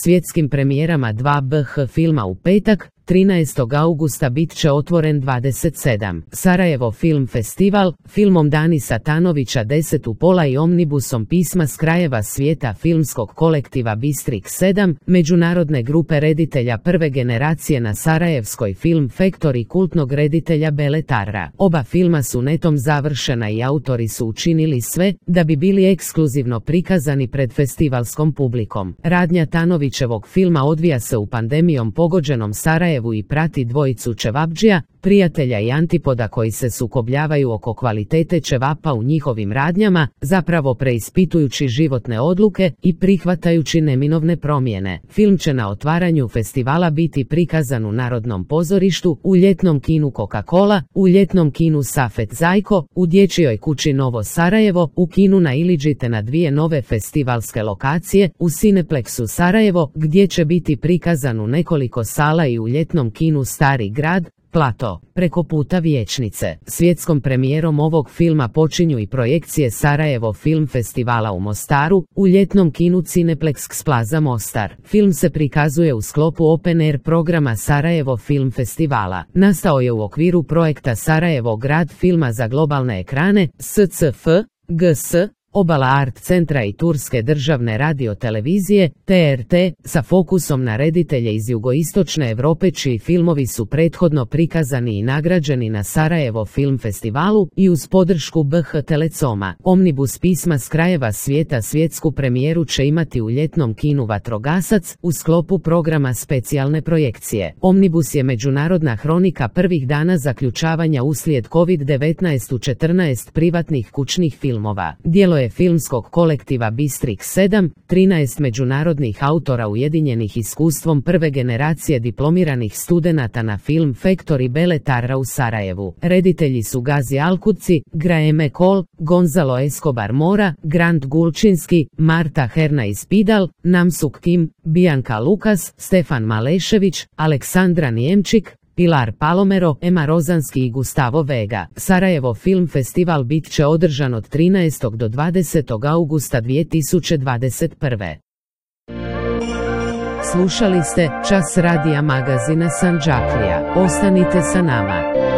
Svjetskim premijerama 2 BH filma u petak, 13. augusta bit će otvoren 27. Sarajevo Film Festival, filmom Dani Satanovića 10 u pola i omnibusom pisma s krajeva svijeta filmskog kolektiva Bistrik 7, međunarodne grupe reditelja prve generacije na Sarajevskoj Film Factory kultnog reditelja Bele Tarra. Oba filma su netom završena i autori su učinili sve da bi bili ekskluzivno prikazani pred festivalskom publikom. Radnja Tanovićevog filma odvija se u pandemijom pogođenom Sarajevu i prati dvojicu ćevabdžija, prijatelja i antipoda koji se sukobljavaju oko kvalitete ćevapa u njihovim radnjama, zapravo preispitujući životne odluke i prihvatajući neminovne promjene. Film će na otvaranju festivala biti prikazan u Narodnom pozorištu, u ljetnom kinu Coca-Cola, u ljetnom kinu Safet Zajko, u dječjoj kući Novo Sarajevo, u kinu na Iliđi te na 2 nove festivalske lokacije, u Cineplexu Sarajevo, gdje će biti prikazan u nekoliko sala i u ljetnom kinu Stari grad, Plato, preko puta Vijećnice. Svjetskom premijerom ovog filma počinju i projekcije Sarajevo Film Festivala u Mostaru, u ljetnom kinu Cineplex Plaza Mostar. Film se prikazuje u sklopu Open Air programa Sarajevo Film Festivala. Nastao je u okviru projekta Sarajevo grad filma za globalne ekrane, SCF, GS, Obala Art Centra i Turske državne radiotelevizije, TRT, sa fokusom na reditelje iz jugoistočne Europe čiji filmovi su prethodno prikazani i nagrađeni na Sarajevo Film Festivalu i uz podršku BH Telecoma. Omnibus pisma s krajeva svijeta svjetsku premijeru će imati u ljetnom kinu Vatrogasac u sklopu programa specijalne projekcije. Omnibus je međunarodna hronika prvih dana zaključavanja uslijed COVID-19 u 14 privatnih kućnih filmova. Djelo je filmskog kolektiva Bistrik 7, 13 međunarodnih autora ujedinjenih iskustvom prve generacije diplomiranih studenata na Film Factory Bele Tarra u Sarajevu. Reditelji su Gazi Alkuci, Graeme Cole, Gonzalo Escobar Mora, Grant Gulčinski, Marta Hernais Pidal, Namsuk Kim, Bianca Lukas, Stefan Malešević, Aleksandra Nijemčik, Pilar Palomero, Ema Rozanski i Gustavo Vega. Sarajevo Film Festival bit će održan od 13. do 20. augusta 2021. Slušali ste Čas radija magazina Sandžaklija. Ostanite sa nama.